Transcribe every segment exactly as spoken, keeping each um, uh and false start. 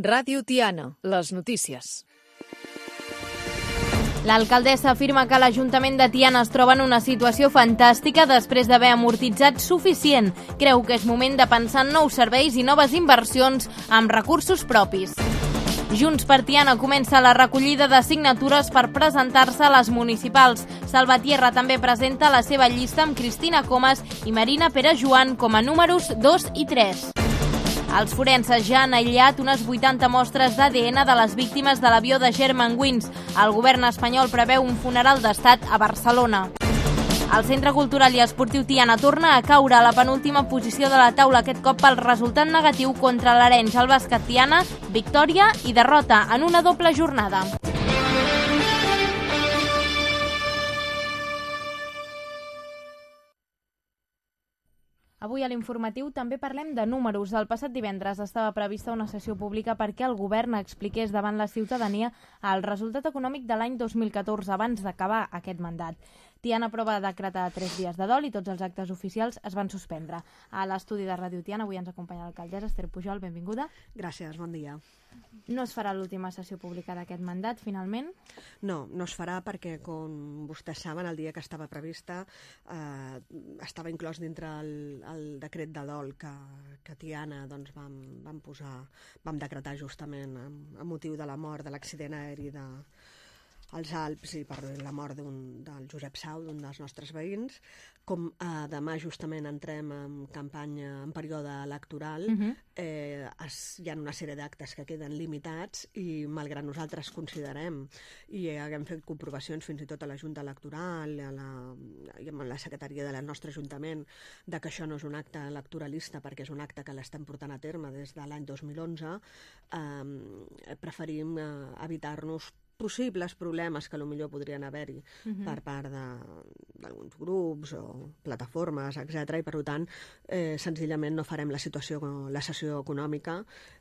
Ràdio Tiana, les notícies. L'alcaldessa afirma que l'Ajuntament de Tiana es troba en una situació fantàstica després d'haver amortitzat suficient. Creu que és moment de pensar en nous serveis i noves inversions amb recursos propis. Junts per Tiana comença la recollida de signatures per presentar-se a les municipals. Salvatierra també presenta la seva llista amb Cristina Comas i Marina Pere-Joan com a números dos i tres. Els forenses ja han aïllat unes vuitanta mostres d'A D N de les víctimes de l'avió de Germanwings. El govern espanyol preveu un funeral d'estat a Barcelona. El Centre Cultural i Esportiu Tiana torna a caure a la penúltima posició de la taula, aquest cop pel resultat negatiu contra l'Arenys. El bàsquet Tiana, victòria i derrota en una doble jornada. Avui a l'informatiu també parlem de números. El passat divendres estava prevista una sessió pública perquè el govern expliqués davant la ciutadania el resultat econòmic de l'any dos mil catorze abans d'acabar aquest mandat. Tiana prova de decretar tres dies de dol i tots els actes oficials es van suspendre. A l'estudi de Ràdio Tiana avui ens acompanya l'alcaldessa Esther Pujol. Benvinguda. Gràcies, bon dia. No es farà l'última sessió pública d'aquest mandat, finalment? No, no es farà perquè, com vostès saben, el dia que estava prevista eh, estava inclòs dintre el, el decret de dol que, que Tiana doncs, vam, vam, posar, vam decretar justament amb, amb motiu de la mort de l'accident aeri de als Alps i per la mort del Josep Sau, d'un dels nostres veïns. Com eh, demà justament entrem en campanya, en període electoral, uh-huh. eh, es, hi ha una sèrie d'actes que queden limitats i malgrat nosaltres considerem i haguem fet comprovacions fins i tot a la Junta Electoral a la, i amb la secretaria del nostre Ajuntament de que això no és un acte electoralista perquè és un acte que l'estem portant a terme des de l'any dos mil onze, eh, preferim eh, evitar-nos possibles problemes que potser podrien haver-hi uh-huh. per part d'alguns grups o plataformes, etcètera. I per tant, eh, senzillament no farem la situació, la sessió econòmica,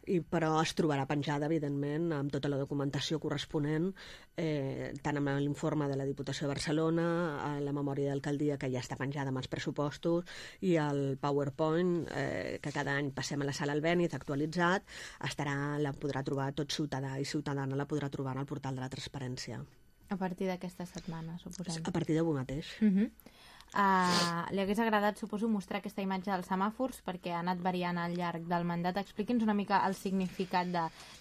i, però es trobarà penjada, evidentment, amb tota la documentació corresponent, eh, tant amb l'informe de la Diputació de Barcelona, a la memòria d'alcaldia, que ja està penjada amb els pressupostos, i el PowerPoint, eh, que cada any passem a la sala Albéniz, actualitzat, estarà, la podrà trobar tot ciutadà i ciutadana, la podrà trobar en el portal de la transparència. A partir d'aquesta setmana, suposem. A partir d'avui mateix. Uh-huh. Uh, li hagués agradat, suposo, mostrar aquesta imatge dels semàfors perquè ha anat variant al llarg del mandat. Expliqui'ns una mica el significat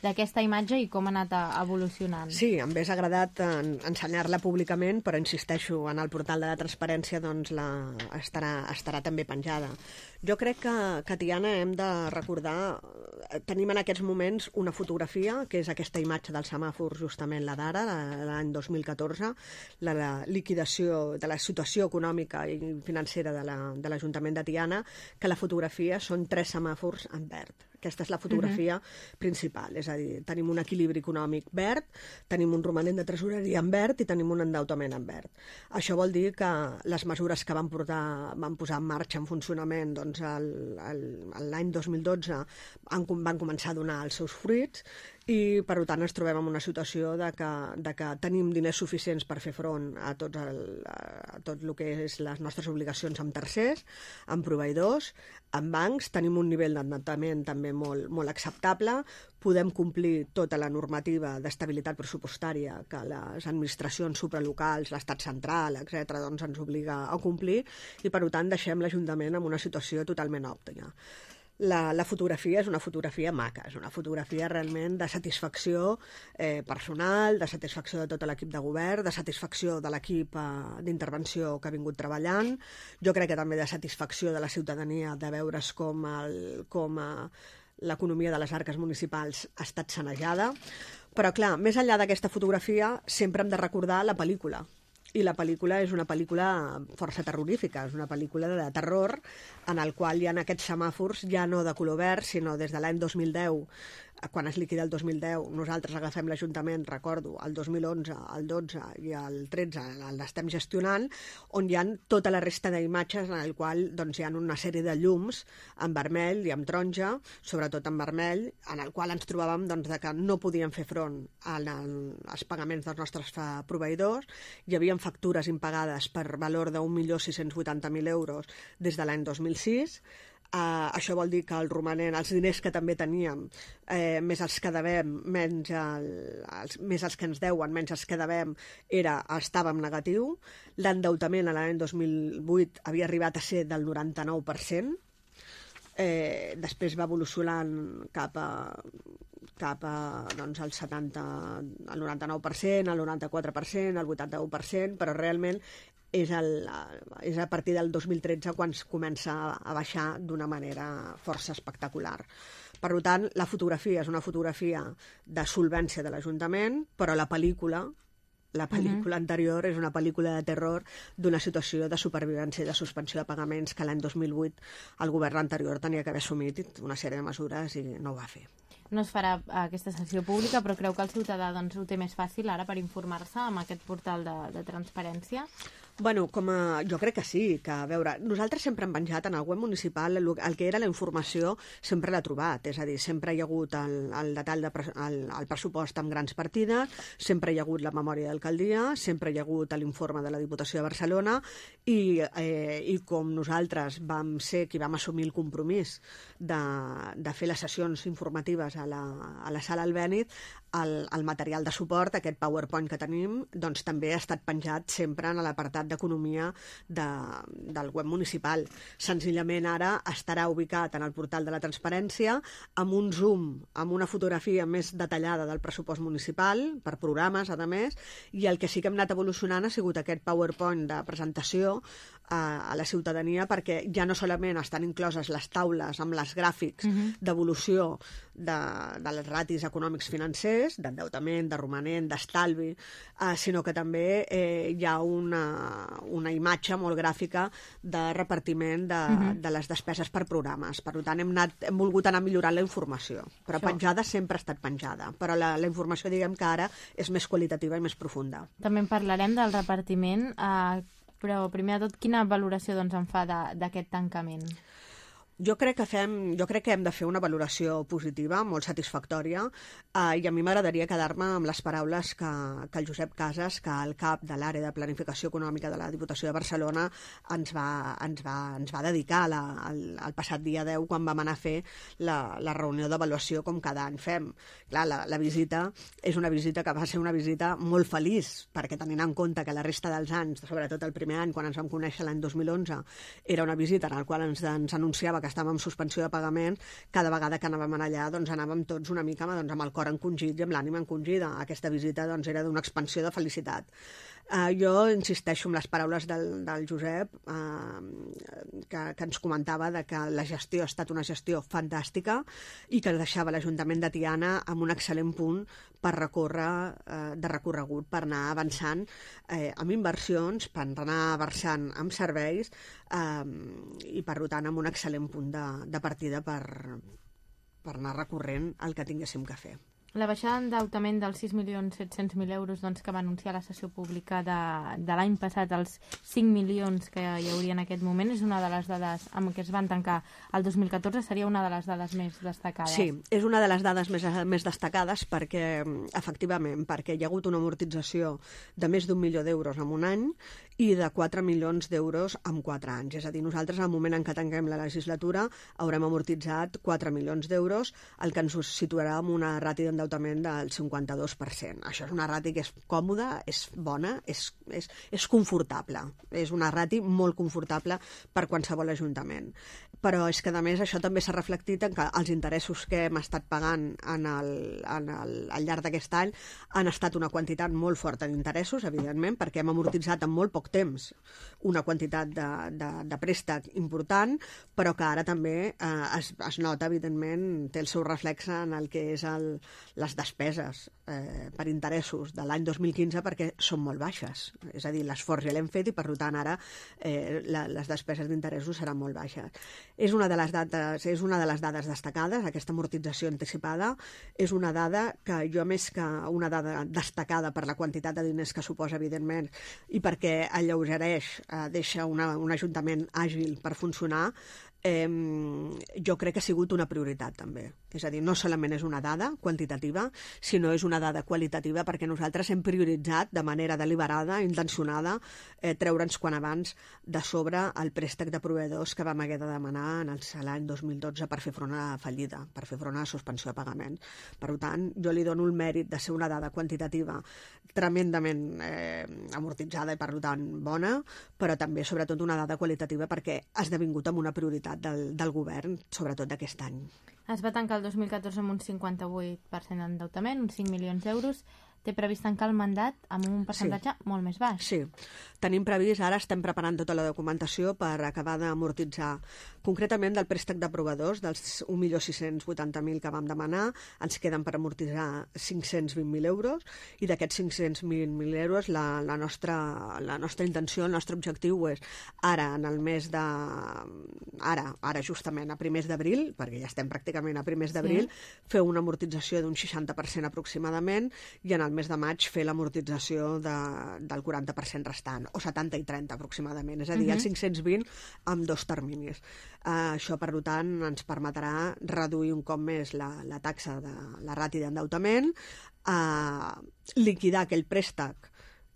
d'aquesta imatge i com ha anat evolucionant. Sí, em hauria agradat en, ensenyar-la públicament, però insisteixo, en el portal de la transparència doncs, la, estarà, estarà també penjada. Jo crec que, que a Tiana hem de recordar, tenim en aquests moments una fotografia, que és aquesta imatge del semàfor, justament la d'ara, l'any dos mil catorze, la, la liquidació de la situació econòmica i financera de l'Ajuntament de, de Tiana, que la fotografia són tres semàfors en verd. Aquesta és la fotografia uh-huh. principal, és a dir, tenim un equilibri econòmic verd, tenim un romanent de tresoreria en verd i tenim un endeutament en verd. Això vol dir que les mesures que van, portar, van posar en marxa, en funcionament, doncs l'any dos mil dotze han, van començar a donar els seus fruits i, per tant, ens trobem en una situació de que, de que tenim diners suficients per fer front a tot, el, a tot el que és les nostres obligacions amb tercers, amb proveïdors, amb bancs, tenim un nivell d'endeutament també molt, molt acceptable, podem complir tota la normativa d'estabilitat pressupostària que les administracions supralocals, l'estat central, etcètera, doncs ens obliga a complir i, per tant, deixem l'Ajuntament en una situació totalment òptima. La, la fotografia és una fotografia maca, és una fotografia realment de satisfacció eh, personal, de satisfacció de tot l'equip de govern, de satisfacció de l'equip eh, d'intervenció que ha vingut treballant. Jo crec que també de satisfacció de la ciutadania de veure's com, el, com eh, l'economia de les arques municipals ha estat sanejada. Però, clar, més enllà d'aquesta fotografia, sempre hem de recordar la pel·lícula. I la pel·lícula és una pel·lícula força terrorífica, és una pel·lícula de terror en el qual hi ha aquests semàfors ja no de color verd, sinó des de l'any dos mil deu, quan es liquida el dos mil deu, nosaltres agafem l'Ajuntament, recordo, el dos mil onze, el dotze i el tretze l'estem gestionant, on hi ha tota la resta d'imatges en el qual doncs, hi ha una sèrie de llums en vermell i en taronja, sobretot en vermell, en el qual ens trobàvem doncs, de que no podíem fer front als pagaments dels nostres proveïdors, hi havia factures impagades per valor d'un milió sis-cents vuitanta mil euros des de l'any dos mil sis, Uh, això vol dir que el romanent, els diners que també teníem, eh, més els que devem, menys, el, els, més els que ens deuen, menys els que devem, era, estava en negatiu. L'endeutament a l'any dos mil vuit havia arribat a ser del noranta-nou per cent. Eh, després va evolucionant cap a cap a doncs, el setanta, el noranta-nou per cent, el noranta-quatre per cent, el vuitanta-u per cent, però realment és, el, és a partir del dos mil tretze quan es comença a baixar d'una manera força espectacular. Per tant, la fotografia és una fotografia de solvència de l'Ajuntament, però la pel·lícula La pel·lícula uh-huh. anterior és una pel·lícula de terror d'una situació de supervivència i de suspensió de pagaments que l'any dos mil vuit el govern anterior tenia que haver assumit una sèrie de mesures i no ho va fer. No es farà aquesta sessió pública, però creu que el ciutadà doncs, ho té més fàcil ara per informar-se amb aquest portal de, de transparència? Bueno, com a, jo crec que sí, que a veure, nosaltres sempre hem penjat en el web municipal el, el que era la informació, sempre l'ha trobat, és a dir, sempre hi ha hagut el, el detall de pre, el, el pressupost amb grans partides, sempre hi ha hagut la memòria d'alcaldia, sempre hi ha hagut l'informe de la Diputació de Barcelona i, eh, i com nosaltres vam ser qui vam assumir el compromís de, de fer les sessions informatives a la, a la sala Albéniz, el, el material de suport, aquest PowerPoint que tenim, doncs també ha estat penjat sempre en l'apartat d'economia de, del web municipal. Senzillament ara estarà ubicat en el portal de la transparència amb un zoom, amb una fotografia més detallada del pressupost municipal, per programes, a més, i el que sí que hem anat evolucionant ha sigut aquest PowerPoint de presentació a, a la ciutadania, perquè ja no solament estan incloses les taules amb les gràfics uh-huh. d'evolució de, de les ratis econòmics financers, d'endeutament, de romanent, d'estalvi, eh, sinó que també eh, hi ha una, una imatge molt gràfica de repartiment de, uh-huh. de les despeses per programes. Per tant, hem, anat, hem volgut anar millorant la informació, però Això. penjada sempre ha estat penjada, però la, la informació, diguem que ara és més qualitativa i més profunda. També en parlarem del repartiment, eh, però primer de tot, quina valoració doncs, en fa d'aquest tancament? Jo crec que fem, jo crec que hem de fer una valoració positiva, molt satisfactòria, eh, i a mi m'agradaria quedar-me amb les paraules que, que el Josep Casas, que el cap de l'àrea de planificació econòmica de la Diputació de Barcelona, ens va, ens va, ens va dedicar la, el, el passat dia deu, quan vam anar a fer la, la reunió d'avaluació com cada any fem. Clar, la, la visita és una visita que va ser una visita molt feliç, perquè tenint en compte que la resta dels anys, sobretot el primer any, quan ens vam conèixer l'any dos mil onze, era una visita en la qual ens, ens anunciava que estàvem en suspensió de pagament, cada vegada que anàvem allà doncs anàvem tots una mica doncs, amb el cor encongit i amb l'ànima encongida. Aquesta visita doncs, era d'una expansió de felicitat. Uh, jo insisteixo en les paraules del, del Josep, uh, que, que ens comentava de que la gestió ha estat una gestió fantàstica i que deixava l'Ajuntament de Tiana amb un excel·lent punt per recórrer uh, de recorregut, per anar avançant eh, amb inversions, per anar avançant amb serveis uh, i per tant amb un excel·lent punt de, de partida per, per anar recorrent el que tinguéssim que fer. La baixada d'endeutament dels sis milions set-cents mil euros doncs, que va anunciar la sessió pública de, de l'any passat, els cinc milions que hi hauria en aquest moment, és una de les dades amb què es van tancar el dos mil catorze, seria una de les dades més destacades. Sí, és una de les dades més, més destacades perquè, efectivament, perquè hi ha hagut una amortització de més d'un milió d'euros en un any i de quatre milions d'euros en quatre anys. És a dir, nosaltres, al moment en què tanquem la legislatura, haurem amortitzat quatre milions d'euros, el que ens situarà en una ràtio d'endeutament del cinquanta-dos per cent. Això és una ràtio que és còmoda, és bona, és, és, és confortable. És una ràtio molt confortable per qualsevol ajuntament. Però és que, a més, això també s'ha reflectit en que els interessos que hem estat pagant en el, en el, al llarg d'aquest any han estat una quantitat molt forta d'interessos, evidentment, perquè hem amortitzat en molt poc temps una quantitat de, de, de préstec important, però que ara també eh, es, es nota, evidentment, té el seu reflexe en el que és el, les despeses eh, per interessos de l'any dos mil quinze, perquè són molt baixes. És a dir, l'esforç ja l'hem fet i, per tant, ara eh, la, les despeses d'interessos seran molt baixes. És una de les dates, és una de les dades destacades, aquesta amortització anticipada. És una dada que jo, més que una dada destacada per la quantitat de diners que suposa, evidentment, i perquè alleugereix, eh, deixa una, un ajuntament àgil per funcionar, eh, jo crec que ha sigut una prioritat també. És a dir, no solament és una dada quantitativa, sinó és una dada qualitativa perquè nosaltres hem prioritzat de manera deliberada, intencionada, eh, treure'ns quan abans de sobre el préstec de proveïdors que vam haver de demanar en l'any dos mil dotze per fer front a la fallida, per fer front a la suspensió de pagament. Per tant, jo li dono el mèrit de ser una dada quantitativa tremendament eh, amortitzada i per tant bona, però també sobretot una dada qualitativa perquè ha esdevingut amb una prioritat del, del govern, sobretot d'aquest any. Es va tancar el dos mil catorze amb un cinquanta-vuit per cent d'endeutament, uns cinc milions d'euros. Té previst tancar el mandat amb un percentatge sí. molt més baix. Sí, tenim previst, ara estem preparant tota la documentació per acabar d'amortitzar, concretament del préstec de proveïdors, dels un milió sis-cents vuitanta mil que vam demanar, ens queden per amortitzar cinc-cents vint mil euros, i d'aquests cinc-cents vint mil euros la, la, nostra, la nostra intenció, el nostre objectiu és ara, en el mes de... Ara, ara justament, a primers d'abril, perquè ja estem pràcticament a primers d'abril, sí. fer una amortització d'un seixanta per cent aproximadament, i en el mes de maig fer l'amortització de, del quaranta per cent restant, o setanta i trenta aproximadament, és a dir, uh-huh. els cinc-cents vint amb dos terminis. Uh, això, per tant, ens permetrà reduir un cop més la, la taxa de la ràtio d'endeutament, uh, liquidar aquell préstec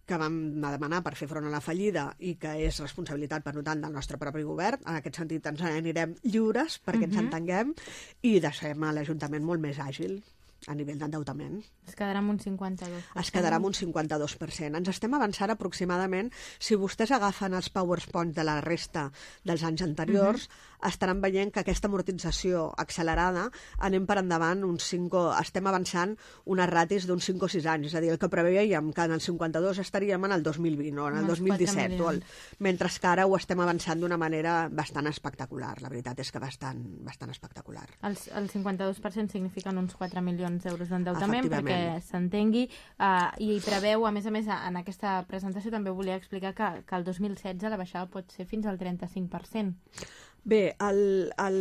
que vam demanar per fer front a la fallida i que és responsabilitat, per tant, del nostre propi govern. En aquest sentit, ens anirem lliures perquè uh-huh. ens entenguem i deixem l'Ajuntament molt més àgil a nivell d'endeutament. Es quedarà amb un cinquanta-dos per cent. Es quedarà amb un cinquanta-dos per cent. Ens estem avançant aproximadament, si vostès agafen els PowerPoints de la resta dels anys anteriors, uh-huh. estaran veient que aquesta amortització accelerada anem per endavant uns cinc, estem avançant unes ratis d'uns cinc o sis anys, és a dir, el que preveiem que en el cinquanta-dos estaríem en el dos mil vint o en el dos mil disset, o el, mentre que ara ho estem avançant d'una manera bastant espectacular. La veritat és que bastant, bastant espectacular. El, el cinquanta-dos per cent signifiquen uns quatre milions d'euros d'endeutament, perquè s'entengui, uh, i preveu, a més a més, en aquesta presentació també volia explicar que, que el dos mil setze la baixada pot ser fins al trenta-cinc per cent. Bé, el, el,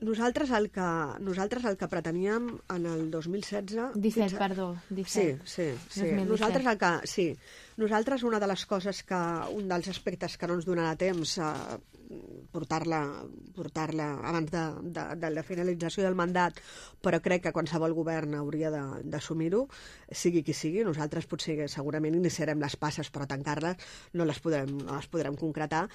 nosaltres, el que, nosaltres el que preteníem en el dos mil setze... disset, a... perdó, disset. Sí, sí, sí. Nosaltres el que... Sí. Nosaltres una de les coses que... Un dels aspectes que no ens donarà temps a portar-la portar-la abans de, de, de la finalització del mandat, però crec que qualsevol govern hauria d'assumir-ho, sigui qui sigui. Nosaltres potser segurament iniciarem les passes, però tancar-les no les podrem, no les podrem concretar.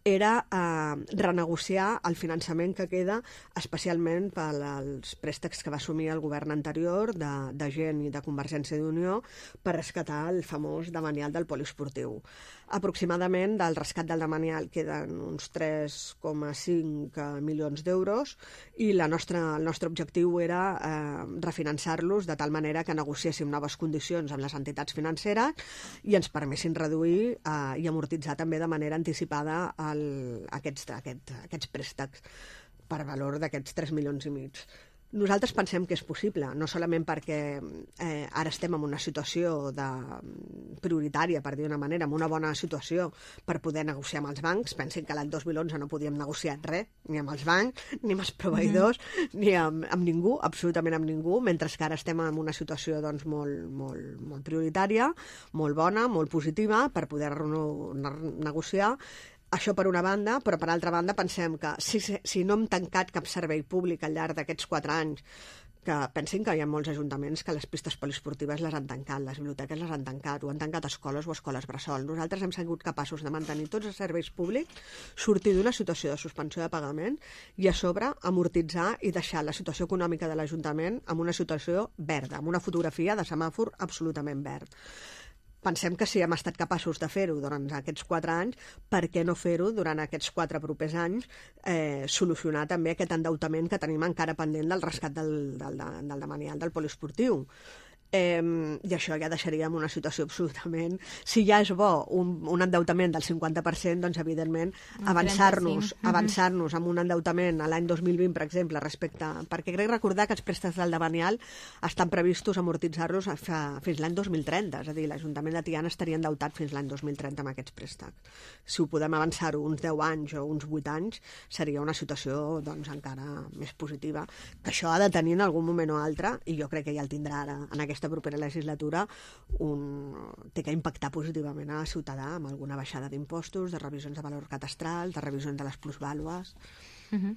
Era eh, renegociar el finançament que queda, especialment pels préstecs que va assumir el govern anterior de, de gent i de Convergència i Unió per rescatar el famós demanial del poliesportiu. Aproximadament del rescat del demanial queden uns tres coma cinc milions d'euros i la nostra, el nostre objectiu era eh, refinançar-los de tal manera que negociéssim noves condicions amb les entitats financeres i ens permessin reduir eh, i amortitzar també de manera anticipada el, aquests, aquest, aquests préstecs per valor d'aquests tres milions i mig. Nosaltres pensem que és possible, no solament perquè eh, ara estem en una situació de, prioritària, per dir d'una manera, en una bona situació per poder negociar amb els bancs. Pensin que l'any dos mil onze no podíem negociar res, ni amb els bancs, ni amb els proveïdors, mm-hmm. ni amb, amb ningú, absolutament amb ningú, mentre que ara estem en una situació doncs, molt, molt, molt prioritària, molt bona, molt positiva, per poder negociar. Això per una banda, però per altra banda pensem que si, si no hem tancat cap servei públic al llarg d'aquests quatre anys, que pensin que hi ha molts ajuntaments que les pistes poliesportives les han tancat, les biblioteques les han tancat, o han tancat escoles o escoles bressol. Nosaltres hem sigut capaços de mantenir tots els serveis públics, sortir d'una situació de suspensió de pagament i a sobre amortitzar i deixar la situació econòmica de l'Ajuntament en una situació verda, amb una fotografia de semàfor absolutament verd. Pensem que si hem estat capaços de fer-ho durant aquests quatre anys, per què no fer-ho durant aquests quatre propers anys, eh, solucionar també aquest endeutament que tenim encara pendent del rescat del, del, del demanial del poliesportiu. Eh, I això ja deixaríem una situació absolutament... Si ja és bo un, un endeutament del cinquanta per cent, doncs evidentment avançar-nos avançar-nos amb un endeutament a l'any dos mil vint, per exemple, respecte... Perquè crec recordar que els préstecs del demanial estan previstos amortitzar-los fins l'any dos mil trenta, és a dir, l'Ajuntament de Tiana estaria endeutat fins l'any dos mil trenta amb aquests préstecs. Si ho podem avançar-ho uns deu anys o uns vuit anys, seria una situació doncs, encara més positiva, que això ha de tenir en algun moment o altre, i jo crec que ja el tindrà ara en aquesta aquesta propera legislatura un, té que impactar positivament a la ciutadà amb alguna baixada d'impostos, de revisions de valor catastral, de revisions de les plusvàlues. Uh-huh.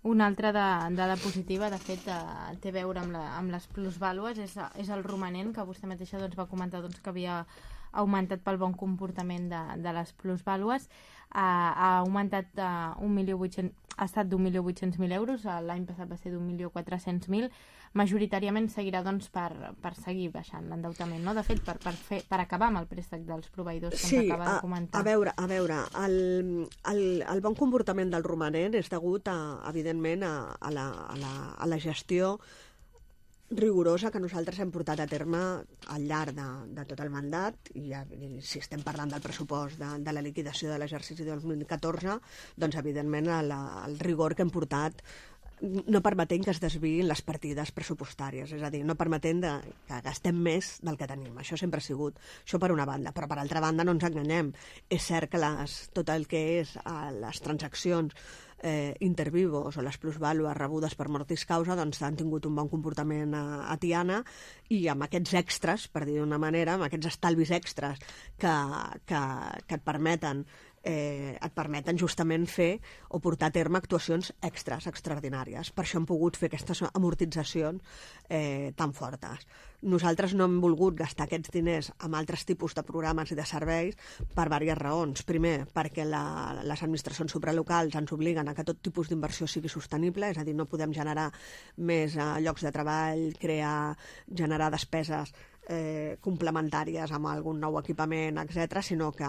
Una altra de, dada positiva, de fet, eh, té a veure amb, la, amb les plusvàlues, és, és el romanent, que vostè mateixa doncs, va comentar doncs, que havia augmentat pel bon comportament de, de les plusvàlues. Uh, ha augmentat uh, un milió vuit-cents, ha estat d'un milió vuit-cents mil euros, l'any passat va ser d'un milió quatre-cents mil. Majoritàriament seguirà doncs, per, per seguir baixant l'endeutament, no? De fet, per, per, fer, per acabar amb el préstec dels proveïdors que sí, ens acaba a, de comentar. a veure, a veure el, el, el bon comportament del romanent és degut, a, evidentment, a, a, la, a, la, a la gestió rigorosa que nosaltres hem portat a terme al llarg de, de tot el mandat, i, i si estem parlant del pressupost de, de la liquidació de l'exercici dos mil catorze, doncs evidentment el, el rigor que hem portat no permetent que es desviïn les partides pressupostàries, és a dir, no permetent de, que gastem més del que tenim. Això sempre ha sigut, això per una banda, però per altra banda no ens enganyem. És cert que les, tot el que és a les transaccions eh, intervivos o les plusvàlues rebudes per mortis causa doncs han tingut un bon comportament a, a Tiana, i amb aquests extras, per dir d'una manera, amb aquests estalvis extras que, que, que et permeten Eh, et permeten justament fer o portar a terme actuacions extras, extraordinàries. Per això hem pogut fer aquestes amortitzacions eh, tan fortes. Nosaltres no hem volgut gastar aquests diners amb altres tipus de programes i de serveis per diverses raons. Primer, perquè la, les administracions supralocals ens obliguen a que tot tipus d'inversió sigui sostenible, és a dir, no podem generar més eh, llocs de treball, crear, generar despeses Eh, complementàries amb algun nou equipament, etcètera, sinó que,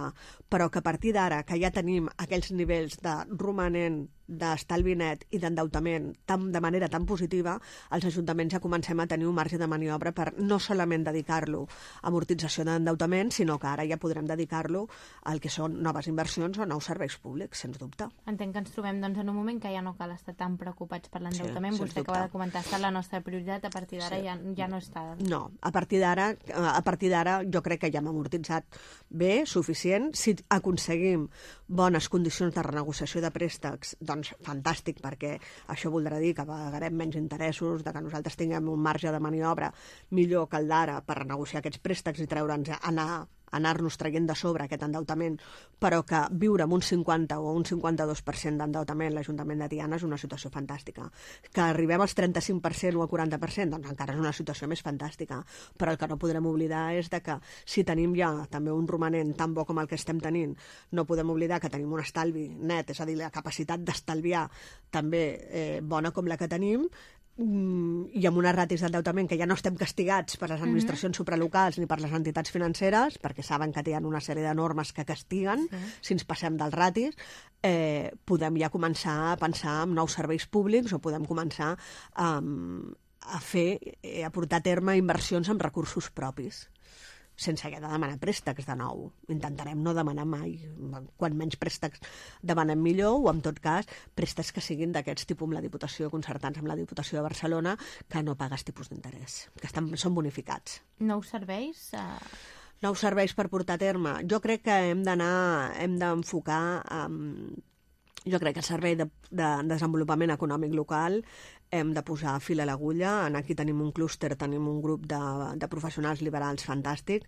però que a partir d'ara, que ja tenim aquells nivells de romanent, d'estalvi net i d'endeutament tan, de manera tan positiva, els ajuntaments ja comencem a tenir un marge de maniobra per no solament dedicar-lo a amortització d'endeutament, sinó que ara ja podrem dedicar-lo al que són noves inversions o nous serveis públics, sens dubte. Entenc que ens trobem doncs, en un moment que ja no cal estar tan preocupats per l'endeutament. Sí, vostè acaba de comentar, ha estat la nostra prioritat, a partir d'ara sí. ja, ja no està. No, a partir d'ara a partir d'ara jo crec que ja hem amortitzat bé, suficient. Si aconseguim bones condicions de renegociació de préstecs, doncs fantàstic, perquè això voldrà dir que pagarem menys interessos, de que nosaltres tinguem un marge de maniobra millor que el d'ara per renegociar aquests préstecs i treure'ns, anar anar-nos traient de sobre aquest endeutament, però que viure amb un cinquanta o un cinquanta-dos per cent d'endeutament l'Ajuntament de Tiana és una situació fantàstica. Que arribem als trenta-cinc per cent o al quaranta per cent, doncs encara és una situació més fantàstica. Però el que no podrem oblidar és de que si tenim ja també un romanent tan bo com el que estem tenint, no podem oblidar que tenim un estalvi net, és a dir, la capacitat d'estalviar també eh, bona com la que tenim, i amb unes ratis d'endeutament que ja no estem castigats per les administracions mm-hmm. supralocals ni per les entitats financeres, perquè saben que tenen una sèrie de normes que castiguen sí. si ens passem dels ratis, eh, podem ja començar a pensar en nous serveis públics o podem començar um, a fer, eh, a portar a terme inversions amb recursos propis, sense haver de demanar préstecs de nou. Intentarem no demanar mai. Quan menys préstecs demanem millor, o en tot cas préstecs que siguin d'aquests tipus amb la Diputació, concertats amb la Diputació de Barcelona, que no pagues tipus d'interès, que estan, són bonificats. Nous serveis? Uh... Nous serveis per portar a terme. Jo crec que hem d'anar, hem d'enfocar um, jo crec que el Servei de, de Desenvolupament Econòmic Local hem de posar fil a l'agulla. Aquí tenim un clúster, tenim un grup de, de professionals liberals fantàstics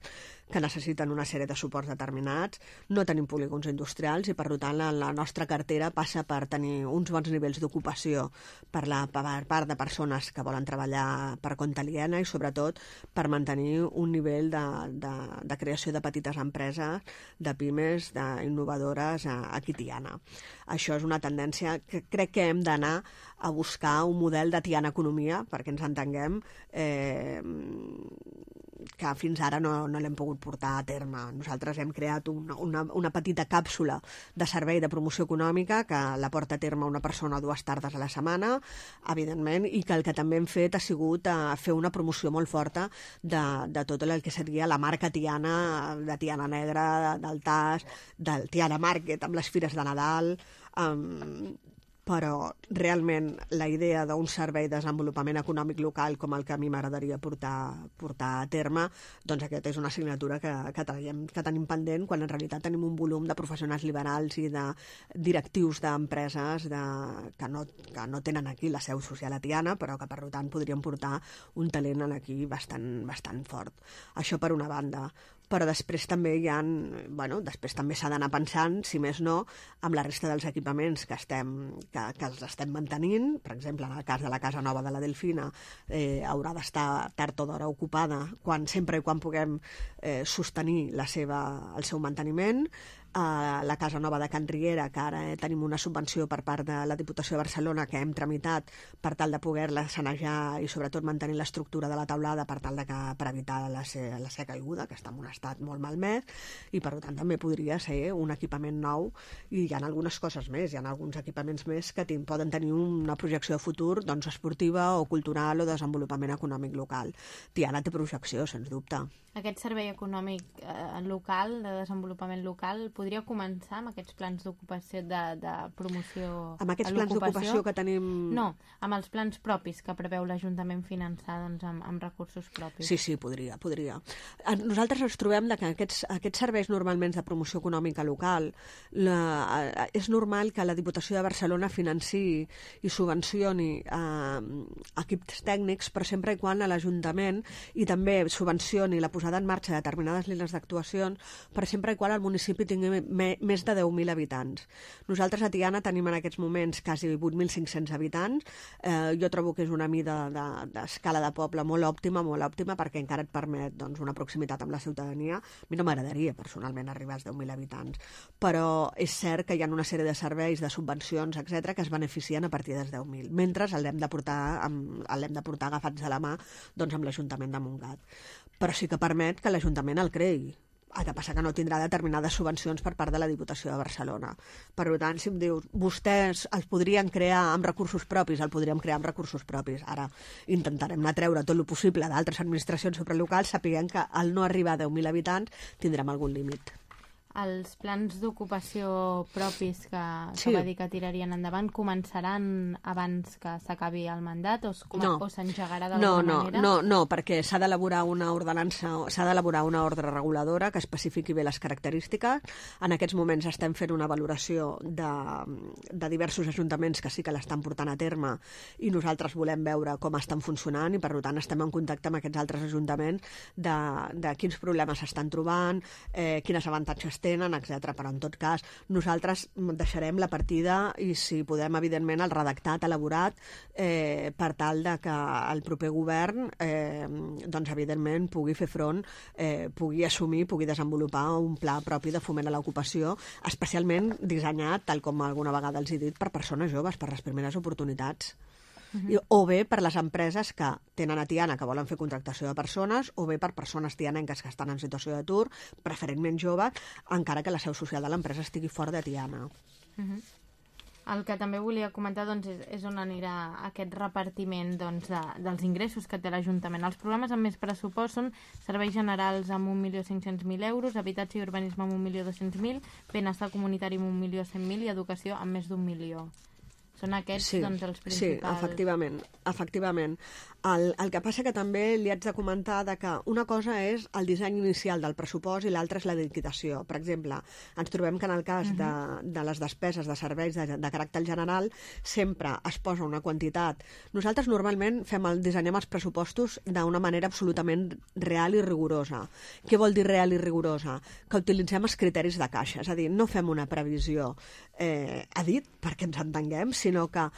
que necessiten una sèrie de suports determinats. No tenim polígons industrials i, per tant, la, la nostra cartera passa per tenir uns bons nivells d'ocupació per la per part de persones que volen treballar per compte aliena i, sobretot, per mantenir un nivell de, de, de creació de petites empreses, de pimes, d'innovadores aquí a Tiana. Això és una tendència que crec que hem d'anar a buscar un model de Tiana Economia, perquè ens entenguem, eh, que fins ara no, no l'hem pogut portar a terme. Nosaltres hem creat una, una, una petita càpsula de servei de promoció econòmica que la porta a terme una persona dues tardes a la setmana, evidentment, i que el que també hem fet ha sigut a fer una promoció molt forta de, de tot el que seria la marca Tiana, de Tiana Negra, del T A S, del Tiana Market, amb les fires de Nadal, um, però realment la idea d'un servei de desenvolupament econòmic local com el que a mi m'agradaria portar, portar a terme, doncs aquesta és una assignatura que, que, traiem, que tenim pendent, quan en realitat tenim un volum de professionals liberals i de directius d'empreses de, que, no, que no tenen aquí la seu social a Tiana, però que per tant podrien portar un talent aquí bastant, bastant fort. Això per una banda. Però després també hi ha, bueno, després també s'ha d'anar pensant, si més no, amb la resta dels equipaments que, estem, que, que els estem mantenint. Per exemple, en el cas de la Casa Nova de la Delfina, eh, haurà d'estar tard o d'hora ocupada quan, sempre i quan puguem eh, sostenir la seva, el seu manteniment. Uh, la Casa Nova de Can Riera, que ara eh, tenim una subvenció per part de la Diputació de Barcelona que hem tramitat per tal de poder-la sanejar i sobretot mantenir l'estructura de la teulada per tal de que, per evitar la, se, la ser caiguda, que està en un estat molt malmès, i per tant també podria ser un equipament nou, i hi ha algunes coses més, hi ha alguns equipaments més que tin, poden tenir una projecció de futur, doncs esportiva o cultural o desenvolupament econòmic local. Tiana té projecció, sens dubte. Aquest servei econòmic eh, local, de desenvolupament local, podria començar amb aquests plans d'ocupació, de, de promoció amb aquests plans d'ocupació que tenim... No, amb els plans propis que preveu l'Ajuntament finançar, doncs, amb, amb recursos propis. Sí, sí, podria, podria. Nosaltres ens trobem que aquests, aquests serveis normalment de promoció econòmica local, la, és normal que la Diputació de Barcelona financiï i subvencioni eh, equips tècnics, però sempre i quan a l'Ajuntament i també subvencioni la posada en marxa de determinades línies d'actuacions, per sempre i quan el municipi tingui me, més de deu mil habitants. Nosaltres a Tiana tenim en aquests moments quasi vuit mil cinc-cents habitants. Eh, jo trobo que és una mida d'escala de, de poble molt òptima, molt òptima, perquè encara et permet doncs, una proximitat amb la ciutadania. A mi no m'agradaria personalment arribar als deu mil habitants, però és cert que hi ha una sèrie de serveis, de subvencions, etcètera, que es beneficien a partir dels deu mil, mentre l'hem de portar, amb, l'hem de portar agafats de la mà doncs, amb l'Ajuntament de Montgat. Però sí que permet que l'Ajuntament el creï. El que passa que no tindrà determinades subvencions per part de la Diputació de Barcelona. Per tant, si em dius, vostès els podrien crear amb recursos propis, el podríem crear amb recursos propis. Ara intentarem anar a treure tot el possible d'altres administracions supralocals, sapiguem que al no arribar a deu mil habitants tindrem algun límit. Els plans d'ocupació propis que, sí. que va dir que tirarien endavant començaran abans que s'acabi el mandat o s'engegarà no. d'alguna no, no, manera? No, no, perquè s'ha d'elaborar una ordenança, s'ha d'elaborar una ordre reguladora que especifiqui bé les característiques. En aquests moments estem fent una valoració de, de diversos ajuntaments que sí que l'estan portant a terme i nosaltres volem veure com estan funcionant i per tant estem en contacte amb aquests altres ajuntaments de, de quins problemes s'estan trobant, eh, quines avantatges tenen, etcètera. Però en tot cas nosaltres deixarem la partida i si podem, evidentment, el redactat elaborat eh, per tal de que el proper govern eh, doncs evidentment pugui fer front, eh, pugui assumir, pugui desenvolupar un pla propi de foment a l'ocupació, especialment dissenyat, tal com alguna vegada els he dit, per persones joves, per les primeres oportunitats. Uh-huh. O bé per les empreses que tenen a Tiana que volen fer contractació de persones, o bé per persones tianenques que estan en situació d'atur, preferentment joves, encara que la seu social de l'empresa estigui fora de Tiana. Uh-huh. El que també volia comentar doncs, és, és on anirà aquest repartiment doncs, de, dels ingressos que té l'Ajuntament. Els programes amb més pressupost són serveis generals amb un milió cinc-cents mil euros, habitatge i urbanisme amb un milió dos-cents mil, benestar comunitari amb un milió cent mil i educació amb més d'un milió. Són aquests sí, doncs, els principals... Sí, efectivament. efectivament. El, el que passa que també li haig de comentar de que una cosa és el disseny inicial del pressupost i l'altra és la liquidació. Per exemple, ens trobem que en el cas uh-huh. de, de les despeses de serveis de, de caràcter general sempre es posa una quantitat. Nosaltres normalment fem el, dissenyem els pressupostos d'una manera absolutament real i rigorosa. Què vol dir real i rigorosa? Que utilitzem els criteris de caixa, és a dir, no fem una previsió eh, a dit, perquè ens entenguem, sinó que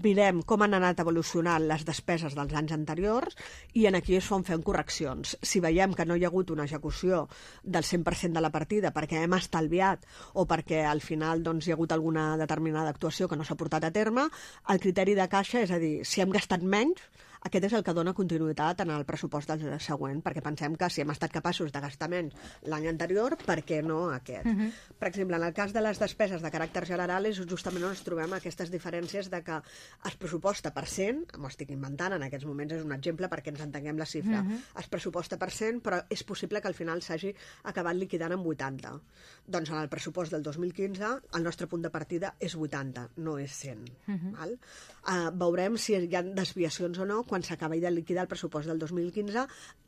mirem com han anat evolucionant les despeses dels anys anteriors i en aquí és on fem correccions. Si veiem que no hi ha hagut una execució del cent per cent de la partida perquè hem estalviat o perquè al final doncs, hi ha hagut alguna determinada actuació que no s'ha portat a terme, el criteri de caixa, és a dir, si hem gastat menys, aquest és el que dona continuïtat en el pressupost del següent, perquè pensem que si hem estat capaços de gastar menys l'any anterior, per què no aquest? Uh -huh. Per exemple, en el cas de les despeses de caràcter general és justament on ens trobem aquestes diferències de que es pressuposta per cent, m'ho estic inventant, en aquests moments és un exemple perquè ens entenguem la xifra, uh -huh. es pressuposta per cent, però és possible que al final s'hagi acabat liquidant en vuitanta. Doncs en el pressupost del dos mil quinze el nostre punt de partida és vuitanta, no és cent. Uh -huh. Val? Uh, veurem si hi ha desviacions o no quan s'acabi de liquidar el pressupost del dos mil quinze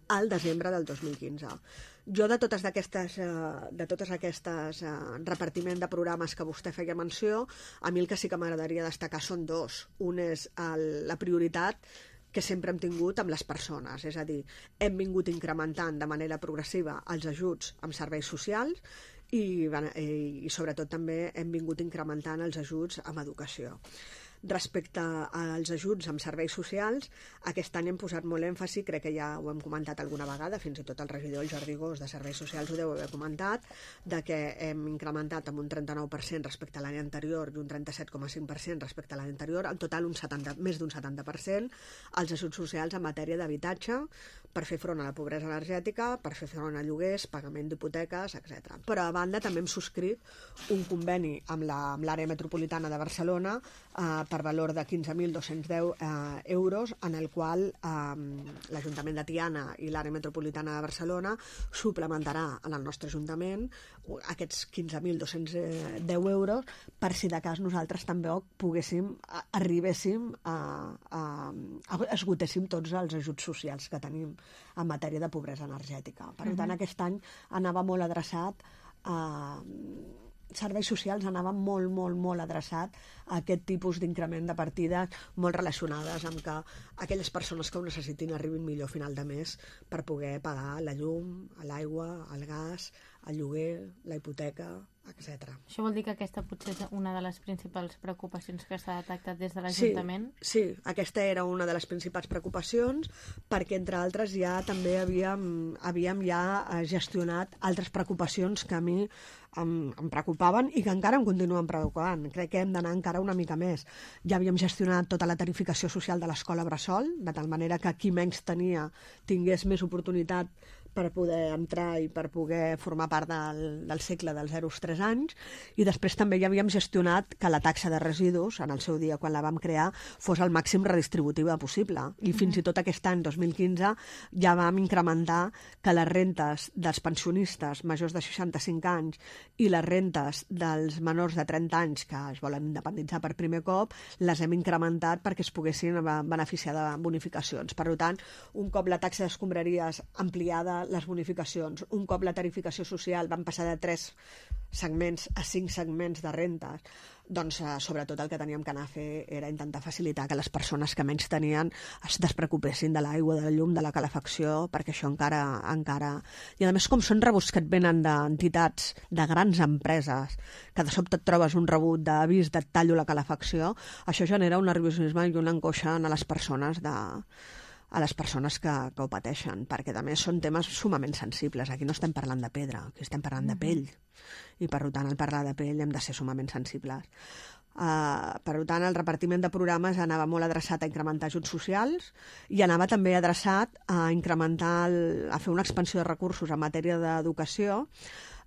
al desembre del dos mil quinze. Jo de totes aquestes, uh, de totes aquestes uh, repartiment de programes que vostè feia menció, a mi el que sí que m'agradaria destacar són dos. Un és el, la prioritat que sempre hem tingut amb les persones, és a dir, hem vingut incrementant de manera progressiva els ajuts amb serveis socials i, i, i sobretot també hem vingut incrementant els ajuts amb educació. Respecte als ajuts amb serveis socials, aquest any hem posat molt èmfasi, crec que ja ho hem comentat alguna vegada, fins i tot el regidor Jordi Gós de Serveis Socials ho deu haver comentat, de que hem incrementat amb un trenta-nou per cent respecte a l'any anterior i un trenta-set coma cinc per cent respecte a l'any anterior, en total un setanta, més d'un setanta per cent, els ajuts socials en matèria d'habitatge per fer front a la pobresa energètica, per fer front a lloguers, pagament d'hipoteques, etcètera. Però a banda també hem subscrit un conveni amb l'àrea metropolitana de Barcelona eh, per valor de quinze mil dos-cents deu eh, euros, en el qual eh, l'Ajuntament de Tiana i l'àrea metropolitana de Barcelona suplementarà en el nostre Ajuntament aquests quinze mil dos-cents deu euros per si de cas nosaltres també poguéssim, arribéssim a, a, a esgotéssim tots els ajuts socials que tenim en matèria de pobresa energètica. Per tant, uh-huh. aquest any anava molt adreçat a serveis socials, anava molt, molt, molt adreçat a aquest tipus d'increment de partides molt relacionades amb que aquelles persones que ho necessitin arribin millor a final de mes per poder pagar la llum, l'aigua, el gas, el lloguer, la hipoteca, etcètera. Això vol dir que aquesta potser és una de les principals preocupacions que s'ha detectat des de l'Ajuntament? Sí, sí, aquesta era una de les principals preocupacions perquè, entre altres, ja també havíem, havíem ja gestionat altres preocupacions que a mi em, em preocupaven i que encara em continuen preocupant. Crec que hem d'anar encara una mica més. Ja havíem gestionat tota la tarificació social de l'escola bressol, de tal manera que qui menys tenia tingués més oportunitat per poder entrar i per poder formar part del, del cicle dels zero als tres anys, i després també ja havíem gestionat que la taxa de residus, en el seu dia quan la vam crear, fos el màxim redistributiva possible. I mm-hmm. fins i tot aquest any, dos mil quinze, ja vam incrementar que les rentes dels pensionistes majors de seixanta-cinc anys i les rentes dels menors de trenta anys que es volen independitzar per primer cop, les hem incrementat perquè es poguessin beneficiar de bonificacions. Per tant, un cop la taxa d'escombraries ampliada, les bonificacions, un cop la tarificació social van passar de tres segments a cinc segments de rentes, doncs eh, sobretot el que teníem que anar a fer era intentar facilitar que les persones que menys tenien es despreocupessin de l'aigua, de la llum, de la calefacció, perquè això encara... encara... I a més, com són rebuts que et venen d'entitats, de grans empreses, que de sobte et trobes un rebut d'avís de tallo la calefacció, això genera un nerviosisme i una angoixa a les persones de... a les persones que, que ho pateixen, perquè a més són temes sumament sensibles. Aquí no estem parlant de pedra, aquí estem parlant de pell, i per tant al parlar de pell hem de ser sumament sensibles. Uh, per tant, el repartiment de programes anava molt adreçat a incrementar ajuts socials i anava també adreçat a incrementar, el, a fer una expansió de recursos en matèria d'educació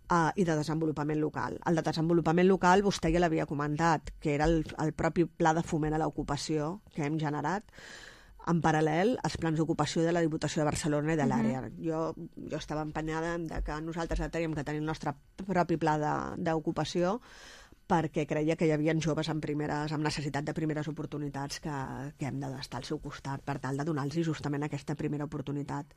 Uh, i de desenvolupament local. El de desenvolupament local vostè ja l'havia comentat, que era el, el propi pla de foment a l'ocupació que hem generat en paral·lel als plans d'ocupació de la Diputació de Barcelona i de l'àrea. Uh-huh. Jo, jo estava empenyada en que nosaltres teníem que tenir el nostre propi pla d'ocupació perquè creia que hi havia joves amb, primeres, amb necessitat de primeres oportunitats que, que hem d'estar al seu costat per tal de donar-los justament aquesta primera oportunitat.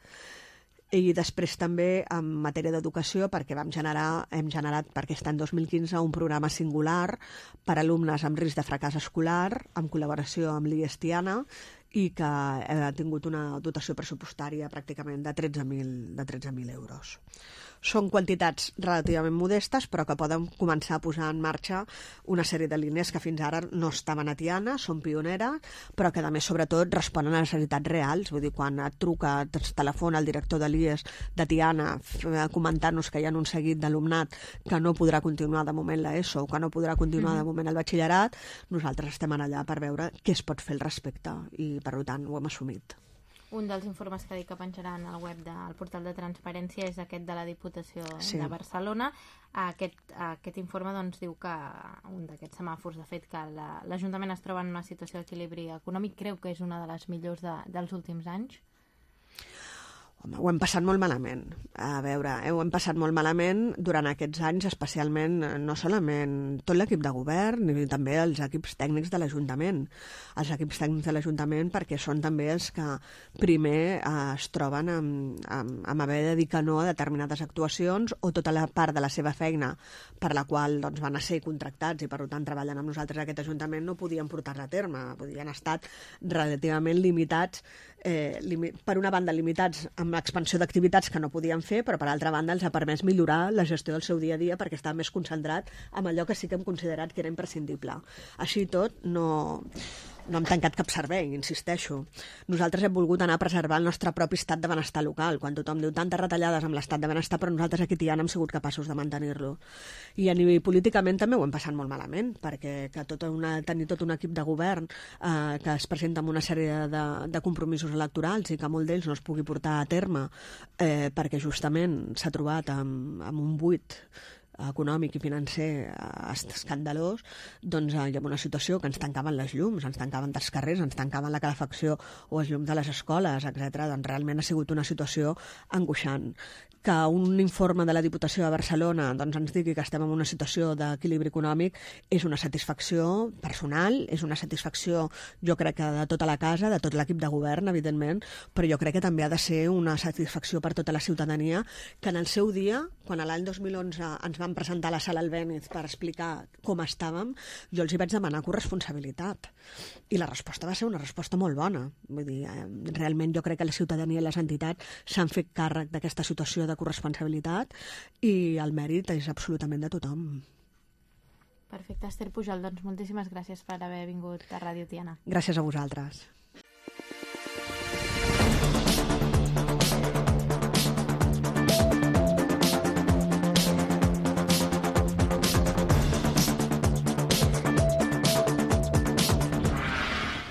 I després també en matèria d'educació, perquè vam generar, hem generat per aquest any dos mil quinze un programa singular per a alumnes amb risc de fracàs escolar, en col·laboració amb l'I E S Tiana, i que ha tingut una dotació pressupostària pràcticament de tretze mil euros. Són quantitats relativament modestes, però que poden començar a posar en marxa una sèrie de línies que fins ara no estaven a Tiana, són pioneres, però que a més sobretot responen a necessitats reals. Vull dir, quan et truca, et telefona el director de l'I E S de Tiana comentant-nos que hi ha un seguit d'alumnat que no podrà continuar de moment l'ESO o que no podrà continuar de moment el batxillerat, nosaltres estem allà per veure què es pot fer al respecte. I per tant ho hem assumit. Un dels informes que dic que penjaran al web del portal de transparència és aquest de la Diputació sí. de Barcelona. Aquest, aquest informe doncs, diu que un d'aquests semàfors, de fet, que l'Ajuntament es troba en una situació d'equilibri econòmic, creu que és una de les millors de, dels últims anys. Home, ho hem passat molt malament. A veure, eh, ho hem passat molt malament durant aquests anys, especialment, no solament tot l'equip de govern, ni també els equips tècnics de l'Ajuntament. Els equips tècnics de l'Ajuntament perquè són també els que primer eh, es troben amb, amb, amb haver de dir que no a determinades actuacions o tota la part de la seva feina per la qual doncs, van a ser contractats i per tant treballen amb nosaltres a aquest Ajuntament no podien portar-la a terme, podien estar relativament limitats, eh, limi per una banda limitats amb l'expansió d'activitats que no podien fer, però per altra banda els ha permès millorar la gestió del seu dia a dia perquè estava més concentrat en allò que sí que hem considerat que era imprescindible. Així i tot, no, no hem tancat cap servei, insisteixo. Nosaltres hem volgut anar a preservar el nostre propi estat de benestar local, quan tothom diu tantes retallades amb l'estat de benestar, però nosaltres aquí a Tiana hem sigut capaços de mantenir-lo. I a nivell políticament també ho hem passat molt malament, perquè que tota una, tenir tot un equip de govern eh, que es presenta amb una sèrie de, de compromisos electorals i que molt d'ells no es pugui portar a terme eh, perquè justament s'ha trobat amb, amb un buit econòmic i financer escandalós, doncs hi ha una situació que ens tancaven les llums, ens tancaven dels carrers, ens tancaven la calefacció o els llums de les escoles, etcètera. Doncs realment ha sigut una situació angoixant. Que un informe de la Diputació de Barcelona doncs, ens digui que estem en una situació d'equilibri econòmic és una satisfacció personal, és una satisfacció jo crec que de tota la casa, de tot l'equip de govern, evidentment, però jo crec que també ha de ser una satisfacció per tota la ciutadania que en el seu dia, quan l'any dos mil onze ens van presentar a la sala Albéniz per explicar com estàvem, jo els hi vaig demanar corresponsabilitat. I la resposta va ser una resposta molt bona. Vull dir, eh, realment jo crec que la ciutadania i les entitats s'han fet càrrec d'aquesta situació de corresponsabilitat i el mèrit és absolutament de tothom. Perfecte. Esther Pujol, doncs moltíssimes gràcies per haver vingut a Ràdio Tiana. Gràcies a vosaltres.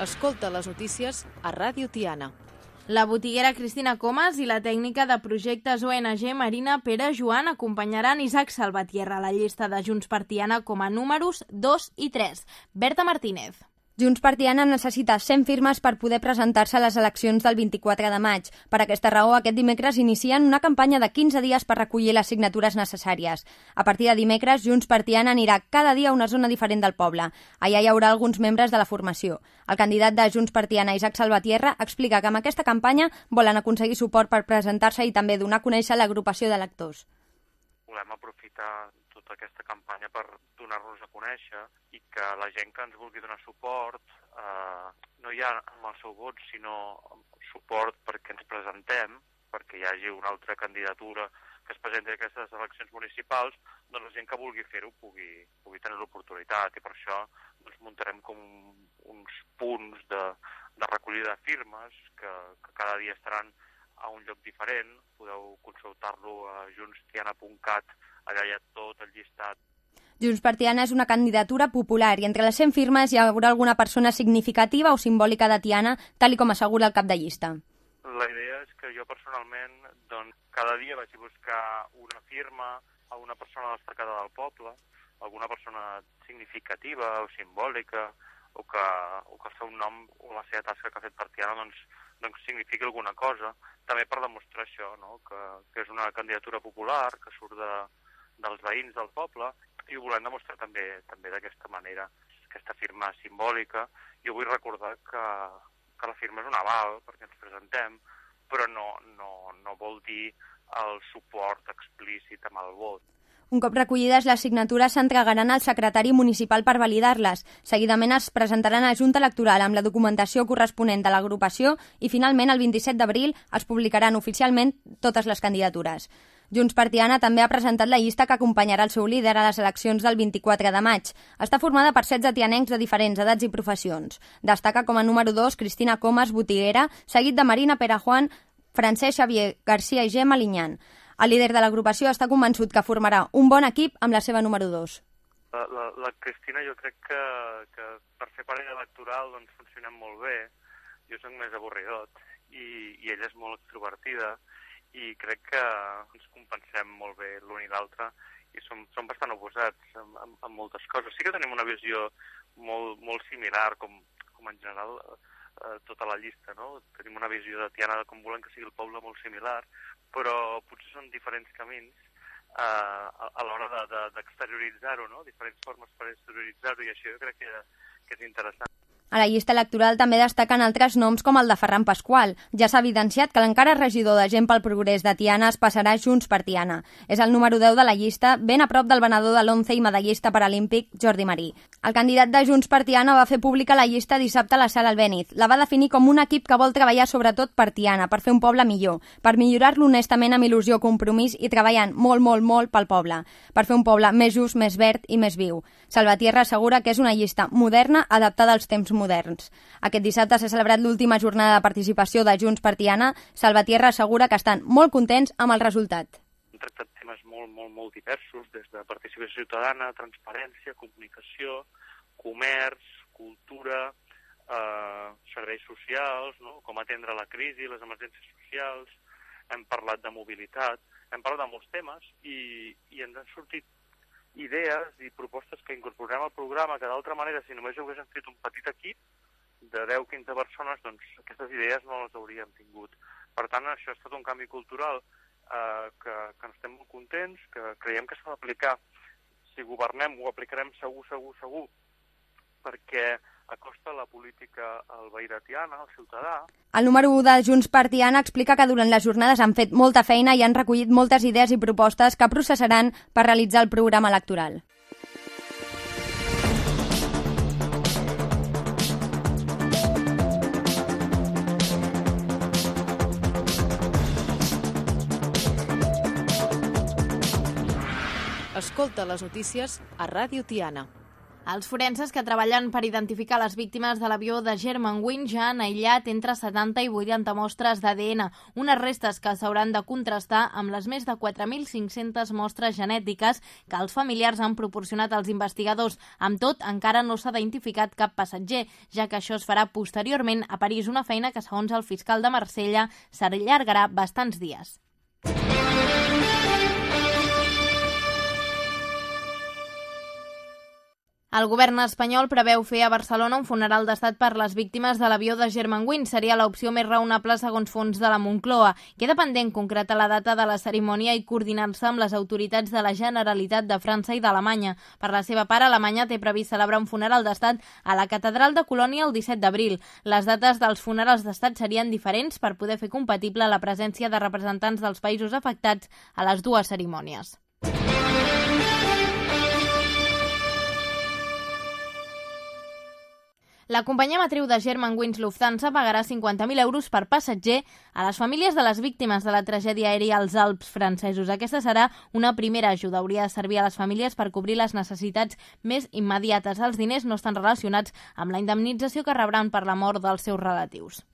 Escolta les notícies a Ràdio Tiana. La botiguera Cristina Comas i la tècnica de projectes O N G Marina Pere Joan acompanyaran Isaac Salvatierra a la llista de Junts per Tiana com a números dos i tres. Berta Martínez. Junts per Tiana necessita cent firmes per poder presentar-se a les eleccions del vint-i-quatre de maig. Per aquesta raó, aquest dimecres inicien una campanya de quinze dies per recollir les signatures necessàries. A partir de dimecres, Junts per Tiana anirà cada dia a una zona diferent del poble. Allà hi haurà alguns membres de la formació. El candidat de Junts per Tiana, Isaac Salvatierra, explica que amb aquesta campanya volen aconseguir suport per presentar-se i també donar a conèixer l'agrupació d'electors. Volem aprofitar tota aquesta campanya per donar-nos a conèixer i que la gent que ens vulgui donar suport, eh, no ja amb el seu vot, sinó suport perquè ens presentem, perquè hi hagi una altra candidatura que es presenti a aquestes eleccions municipals, doncs la gent que vulgui fer-ho pugui, pugui tenir l'oportunitat i per això doncs, muntarem com uns punts de, de recollida de firmes que, que cada dia estaran a un lloc diferent. Podeu consultar-lo a junts tiana punt cat, allà hi ha tot el llistat. Junts per Tiana és una candidatura popular i entre les cent firmes hi haurà alguna persona significativa o simbòlica de Tiana, tal com assegura el cap de llista. La idea és que jo personalment doncs, cada dia vaig a buscar una firma a una persona destacada del poble, alguna persona significativa o simbòlica, o que, o que el seu nom o la seva tasca que ha fet per Tiana doncs, doncs signifiqui alguna cosa, també per demostrar això, no? que, que és una candidatura popular, que surt de, dels veïns del poble, i ho volem demostrar també també d'aquesta manera, aquesta firma simbòlica. Jo vull recordar que, que la firma és un aval perquè ens presentem, però no, no, no vol dir el suport explícit amb el vot. Un cop recollides, les signatures s'entregaran al secretari municipal per validar-les. Seguidament es presentaran a la Junta Electoral amb la documentació corresponent de l'agrupació i finalment el vint-i-set d'abril es publicaran oficialment totes les candidatures. Junts per Tiana també ha presentat la llista que acompanyarà el seu líder a les eleccions del vint-i-quatre de maig. Està formada per setze tianencs de diferents edats i professions. Destaca com a número dos Cristina Comas, botiguera, seguit de Marina Pere Joan, Francesc Xavier Garcia i Gemma Linyán. El líder de l'agrupació està convençut que formarà un bon equip amb la seva número dos. La, la, la Cristina jo crec que, que per fer parella electoral doncs, funcionem molt bé, jo soc més avorridot i, i ella és molt extrovertida i crec que ens compensem molt bé l'un i l'altre i som, som bastant oposats en, en, en moltes coses. Sí que tenim una visió molt, molt similar, com, com en general eh, tota la llista, no? Tenim una visió de Tiana de com volem que sigui el poble molt similar, però potser són diferents camins eh, a, a l'hora d'exterioritzar-ho, de, de, no? Diferents formes per exterioritzar-ho, i això jo crec que, que és interessant. A la llista electoral també destaquen altres noms com el de Ferran Pasqual. Ja s'ha evidenciat que l'encara regidor de Gent pel Progrés de Tiana es passarà Junts per Tiana. És el número deu de la llista, ben a prop del venedor de l'once i medallista paralímpic Jordi Marí. El candidat de Junts per Tiana va fer pública la llista dissabte a la Sala Albéniz. La va definir com un equip que vol treballar sobretot per Tiana, per fer un poble millor, per millorar-lo honestament amb il·lusió, compromís i treballant molt, molt, molt pel poble, per fer un poble més just, més verd i més viu. Salvatierra assegura que és una llista moderna, adaptada als temps moderns. Aquest dissabte s'ha celebrat l'última jornada de participació de Junts per Tiana. Salvatierra assegura que estan molt contents amb el resultat. Hem tractat temes molt, molt, molt diversos, des de participació ciutadana, transparència, comunicació, comerç, cultura, eh, serveis socials, no? Com atendre la crisi, les emergències socials, hem parlat de mobilitat, hem parlat de molts temes i, i ens han sortit idees i propostes que incorporem al programa, que d'altra manera, si només ho haguéssim fet un petit equip de deu a quinze persones, doncs aquestes idees no les hauríem tingut. Per tant, això ha estat un canvi cultural eh, que, que estem molt contents, que creiem que s'ha d'aplicar. Si governem, ho aplicarem segur, segur, segur, perquè acosta la política al veí de Tiana, al ciutadà. El número u de Junts per Tiana explica que durant les jornades han fet molta feina i han recollit moltes idees i propostes que processaran per realitzar el programa electoral. Escolta les notícies a Ràdio Tiana. Els forenses que treballen per identificar les víctimes de l'avió de Germanwings ja han aïllat entre setanta i vuitanta mostres d'A D N, unes restes que s'hauran de contrastar amb les més de quatre mil cinc-centes mostres genètiques que els familiars han proporcionat als investigadors. Amb tot, encara no s'ha identificat cap passatger, ja que això es farà posteriorment a París, una feina que, segons el fiscal de Marsella, s'allargarà bastants dies. El govern espanyol preveu fer a Barcelona un funeral d'estat per les víctimes de l'avió de Germanwings. Seria l'opció més raonable segons fons de la Moncloa. Queda pendent concretar la data de la cerimònia i coordinar-se amb les autoritats de la Generalitat de França i d'Alemanya. Per la seva part, Alemanya té previst celebrar un funeral d'estat a la Catedral de Colònia el disset d'abril. Les dates dels funerals d'estat serien diferents per poder fer compatible la presència de representants dels països afectats a les dues cerimònies. La companyia matriu de Germanwings Lufthansa pagarà cinquanta mil euros per passatger a les famílies de les víctimes de la tragèdia aèria als Alps francesos. Aquesta serà una primera ajuda. Hauria de servir a les famílies per cobrir les necessitats més immediates. Els diners no estan relacionats amb la indemnització que rebran per la mort dels seus relatius.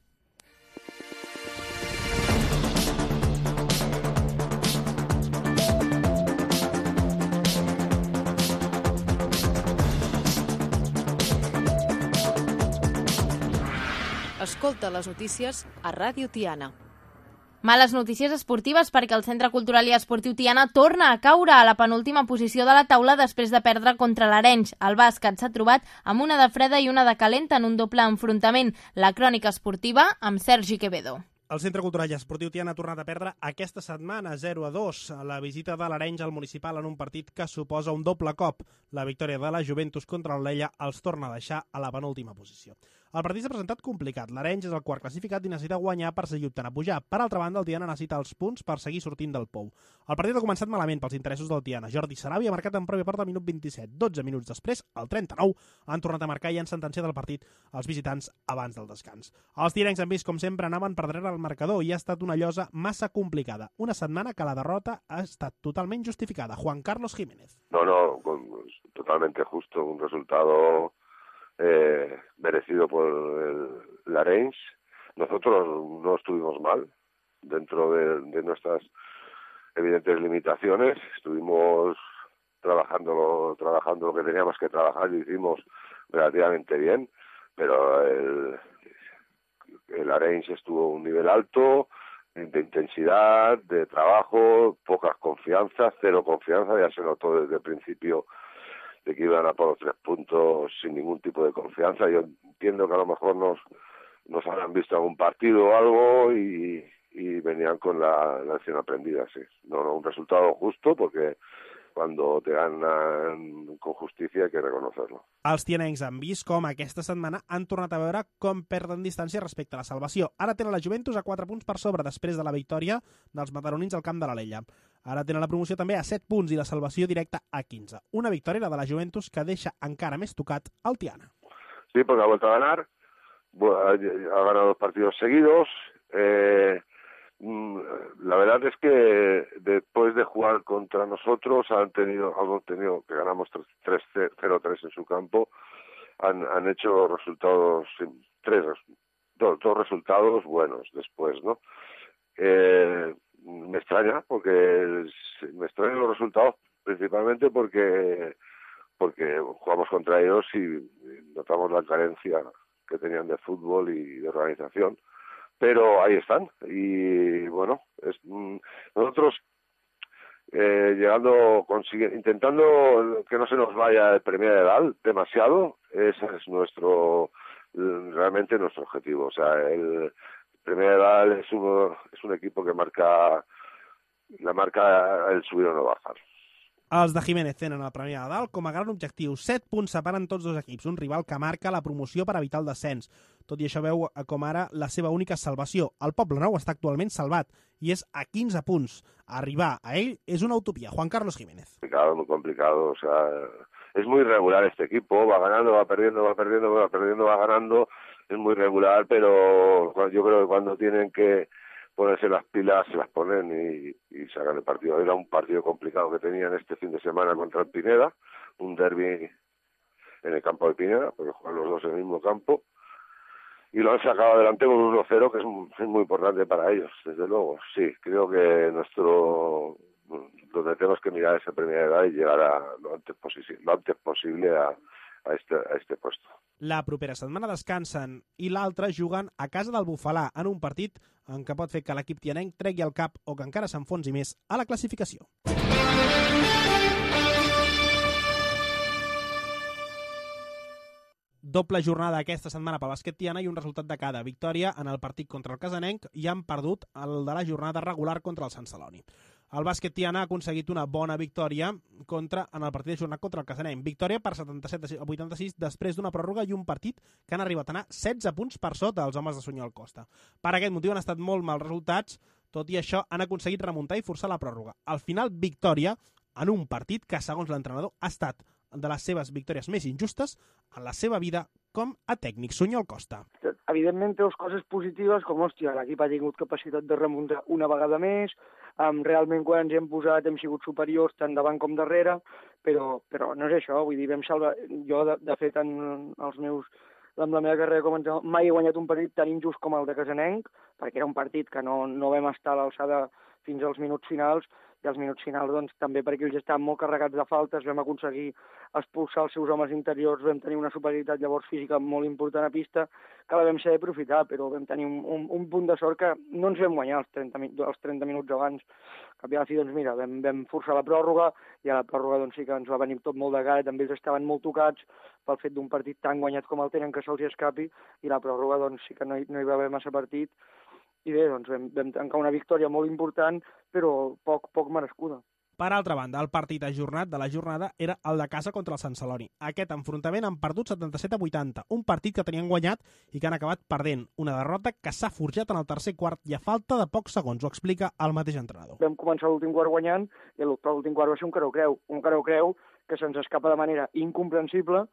Escolta les notícies a Ràdio Tiana. Males notícies esportives perquè el Centre Cultural i Esportiu Tiana torna a caure a la penúltima posició de la taula després de perdre contra l'Arenys. El bàsquet s'ha trobat amb una de freda i una de calenta en un doble enfrontament. La crònica esportiva amb Sergi Quevedo. El Centre Cultural i Esportiu Tiana ha tornat a perdre aquesta setmana zero a dos. La visita de l'Arenys al municipal en un partit que suposa un doble cop. La victòria de la Juventus contra el Lleida els torna a deixar a la penúltima posició. El partit s'ha presentat complicat. L'Arenys és el quart classificat i necessita guanyar per seguir optant a pujar. Per altra banda, el Tiana necessita els punts per seguir sortint del pou. El partit ha començat malament pels interessos del Tiana. Jordi Sarabia ha marcat en pròpia porta al minut vint-i-set. dotze minuts després, al trenta-nou, han tornat a marcar i han sentenciat el partit als visitants abans del descans. Els tirencs han vist, com sempre, anaven per darrere el marcador i ha estat una llosa massa complicada. Una setmana que la derrota ha estat totalment justificada. Juan Carlos Jiménez. No, no, totalmente justo. Un resultado Eh, merecido por el, el Arenys. Nosotros no estuvimos mal dentro de, de nuestras evidentes limitaciones. Estuvimos trabajando lo, trabajando lo que teníamos que trabajar y hicimos relativamente bien, pero el, el Arenys estuvo a un nivel alto, de intensidad, de trabajo, pocas confianzas, cero confianza, ya se notó desde el principio de que iban a por los tres puntos sin ningún tipo de confianza. Yo entiendo que a lo mejor nos, nos habrán visto algún partido o algo y, y venían con la, la lección aprendida, sí. No, no, un resultado justo porque cuando te ganen con justícia hay que reconocerlo. Els tianencs han vist com aquesta setmana han tornat a veure com perden distància respecte a la salvació. Ara tenen la Juventus a quatre punts per sobre després de la victòria dels mataronins al camp de l'Alella. Ara tenen la promoció també a set punts i la salvació directa a quinze. Una victòria, la de la Juventus, que deixa encara més tocat el Tiana. Sí, porque ha vuelto a ganar, ha ganado dos partidos seguidos. Eh, La verdad es que después de jugar contra nosotros han tenido, han tenido que ganamos tres cero tres en su campo, han, han hecho resultados, tres, dos, dos resultados buenos después, ¿no? Eh, me extraña, porque me extrañan los resultados principalmente porque porque jugamos contra ellos y notamos la carencia que tenían de fútbol y de organización. Pero ahí están y bueno, es, nosotros eh, llegando, intentando que no se nos vaya el Premià de Dalt demasiado, ese es nuestro, realmente nuestro objetivo. O sea, el Premià de Dalt es, uno, es un equipo que marca, la marca el subir o no bajar. Els de Jiménez tenen el Premià de Dalt com a gran objectiu. Set punts separen tots dos equips, un rival que marca la promoció per evitar el descens. Tot i això veu com ara la seva única salvació. El Poblenou està actualment salvat i és a quinze punts. Arribar a ell és una utopia. Juan Carlos Jiménez. Complicado, muy complicado. O sea, es muy irregular este equipo. Va ganando, va perdiendo, va perdiendo, va perdiendo, va ganando. Es muy regular, pero yo creo que cuando tienen que ponerse las pilas, se las ponen y, y sacan el partido. Era un partido complicado que tenían este fin de semana contra el Pineda, un derbi en el campo de Pineda, porque juegan los dos en el mismo campo, y lo han sacado adelante con un uno cero, que es, es muy importante para ellos, desde luego. Sí, creo que nuestro donde tenemos que mirar esa primera edad y llegar a lo antes posible, lo antes posible a, a, este, a este puesto. La propera setmana descansen i l'altra juguen a casa del Bufalà en un partit en què pot fer que l'equip tianenc tregui el cap o que encara s'enfonsi més a la classificació. Doble jornada aquesta setmana pel bàsquet tiana i un resultat de cada. Victòria en el partit contra el Casanenc i han perdut el de la jornada regular contra el Sant Celoni. El bàsquet tiana ha aconseguit una bona victòria contra, en el partit de jornada contra el Casanenc. Victòria per setanta-set a vuitanta-sis després d'una pròrroga i un partit que han arribat a anar setze punts per sota els homes de Sunyol Costa. Per aquest motiu han estat molt mals resultats, tot i això han aconseguit remuntar i forçar la pròrroga. Al final, victòria en un partit que, segons l'entrenador, ha estat de les seves victòries més injustes en la seva vida com a tècnic. Sunyol Costa. Evidentment té coses positives, com, hòstia, l'equip ha tingut capacitat de remuntar una vegada més, um, realment quan ens hem posat hem sigut superiors tant davant com darrere, però, però no és això, vull dir, vam salvar... Jo, de, de fet, en els meus... amb la meva carrera com a mai he guanyat un partit tan injust com el de Casanenc, perquè era un partit que no, no vam estar a l'alçada fins als minuts finals, i als minuts finals doncs, també perquè ells estaven molt carregats de faltes, vam aconseguir expulsar els seus homes interiors, vam tenir una superioritat llavors física molt important a pista, que la vam saber aprofitar, però vam tenir un, un, un punt de sort que no ens vam guanyar els trenta, els trenta minuts abans. Cap i a la fi, doncs mira, vam, vam forçar la pròrroga, i a la pròrroga doncs, sí que ens va venir tot molt de cara, també ells estaven molt tocats pel fet d'un partit tan guanyat com el tenen que se'ls escapi, i la pròrroga doncs, sí que no hi, no hi va haver massa partit, i bé, doncs vam, vam tancar una victòria molt important, però poc, poc merescuda. Per altra banda, el partit ajornat de la jornada era el de casa contra el Sant Celoni. Aquest enfrontament han perdut setanta-set a vuitanta, un partit que tenien guanyat i que han acabat perdent. Una derrota que s'ha forjat en el tercer quart i a falta de pocs segons, ho explica el mateix entrenador. Vam començar l'últim quart guanyant i l'últim quart va ser un careu-creu. Un careu-creu que se'ns escapa de manera incomprensible.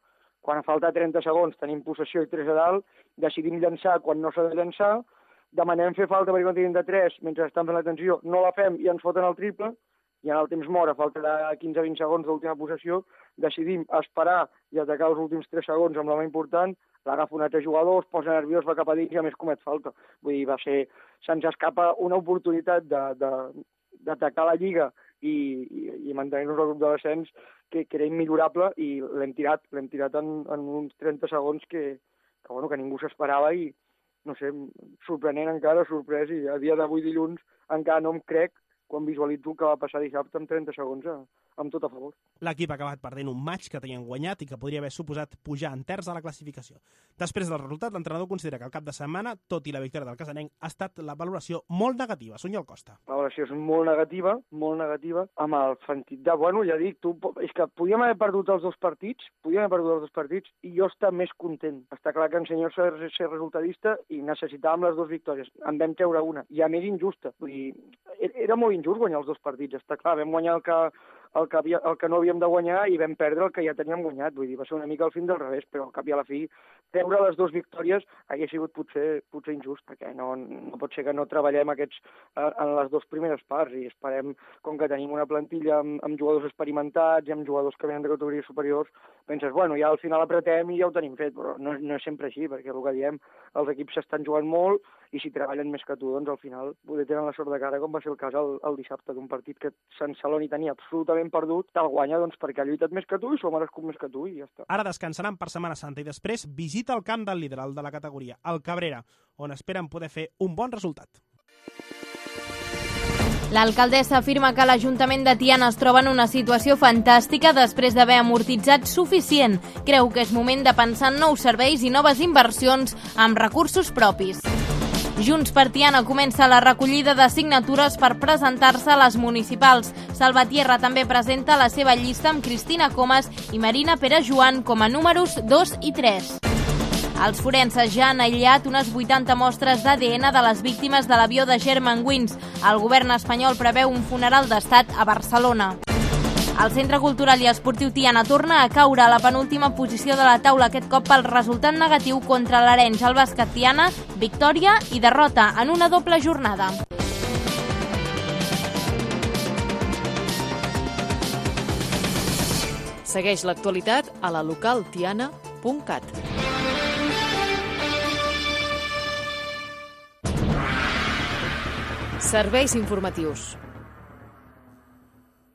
Quan a falta trenta segons tenim possessió i tres a dalt, decidim llançar quan no s'ha de llançar, demanem fer falta perquè quan tenim de tres, mentre estan fent l'atenció, no la fem i ens foten el triple, i en el temps mort, a falta de quinze a vint segons d'última possessió, decidim esperar i atacar els últims tres segons amb la mà important, l'agafa un altre jugador, es posa nerviós, va cap a dins i a més comet falta. Vull dir, va ser... Se'ns escapa una oportunitat d'atacar la Lliga i, i, i mantenir-nos al grup de descens que, que era immillorable i l'hem tirat, l'hem tirat en, en uns trenta segons que, que, bueno, que ningú s'esperava i, no sé, sorprenent encara, sorprès, i a dia d'avui dilluns encara no em crec quan visualitzo que va passar dissabte amb trenta segons a, amb tot a favor. L'equip ha acabat perdent un match que tenien guanyat i que podria haver suposat pujar en terç a la classificació. Després del resultat, l'entrenador considera que el cap de setmana, tot i la victòria del casanenc, ha estat la valoració molt negativa. Sunyol Costa. La valoració és molt negativa, molt negativa, amb el sentit de, bueno, ja dic, tu, és que podíem haver perdut els dos partits, podíem haver perdut els dos partits i jo estar més content. Està clar que en senyor ser, ser resultadista i necessitàvem les dues victòries. En vam treure una, ja més injusta. Vull dir, era molt injust guanyar els dos partits, està clar, vam guanyar el que, el que, havia, el que no havíem de guanyar i vam perdre el que ja teníem guanyat, vull dir, va ser una mica el fin del revés, però al cap i a la fi treure les dues victòries hauria sigut potser, potser injust, perquè no, no pot ser que no treballem aquests eh, en les dues primeres parts i esperem, com que tenim una plantilla amb, amb jugadors experimentats i amb jugadors que venen de categories superiors, penses, bueno, ja al final apretem i ja ho tenim fet, però no, no és sempre així, perquè el que diem, els equips s'estan jugant molt i si treballen més que tu, doncs al final poder tenen la sort de cara, com va ser el cas el, el dissabte d'un partit que Sant Celoni tenia absolutament perdut, te'l guanya doncs, perquè ha lluitat més que tu i s'ho ha merescut més que tu i ja està. Ara descansaran per Setmana Santa i després visita el camp del líder, el de la categoria, el Cabrera, on esperen poder fer un bon resultat. L'alcaldessa afirma que l'Ajuntament de Tiana es troba en una situació fantàstica després d'haver amortitzat suficient. Creu que és moment de pensar en nous serveis i noves inversions amb recursos propis. Junts per Tiana comença la recollida de signatures per presentar-se a les municipals. Salvatierra també presenta la seva llista amb Cristina Comas i Marina Pere Joan com a números dos i tres. Els forenses ja han aïllat unes vuitanta mostres d'A D N de les víctimes de l'avió de Germanwings. El govern espanyol preveu un funeral d'estat a Barcelona. El Centre Cultural i Esportiu Tiana torna a caure a la penúltima posició de la taula, aquest cop pel resultat negatiu contra l'Arenys. El bàsquet Tiana, victòria i derrota en una doble jornada. Segueix l'actualitat a la local tiana punt cat. Serveis informatius.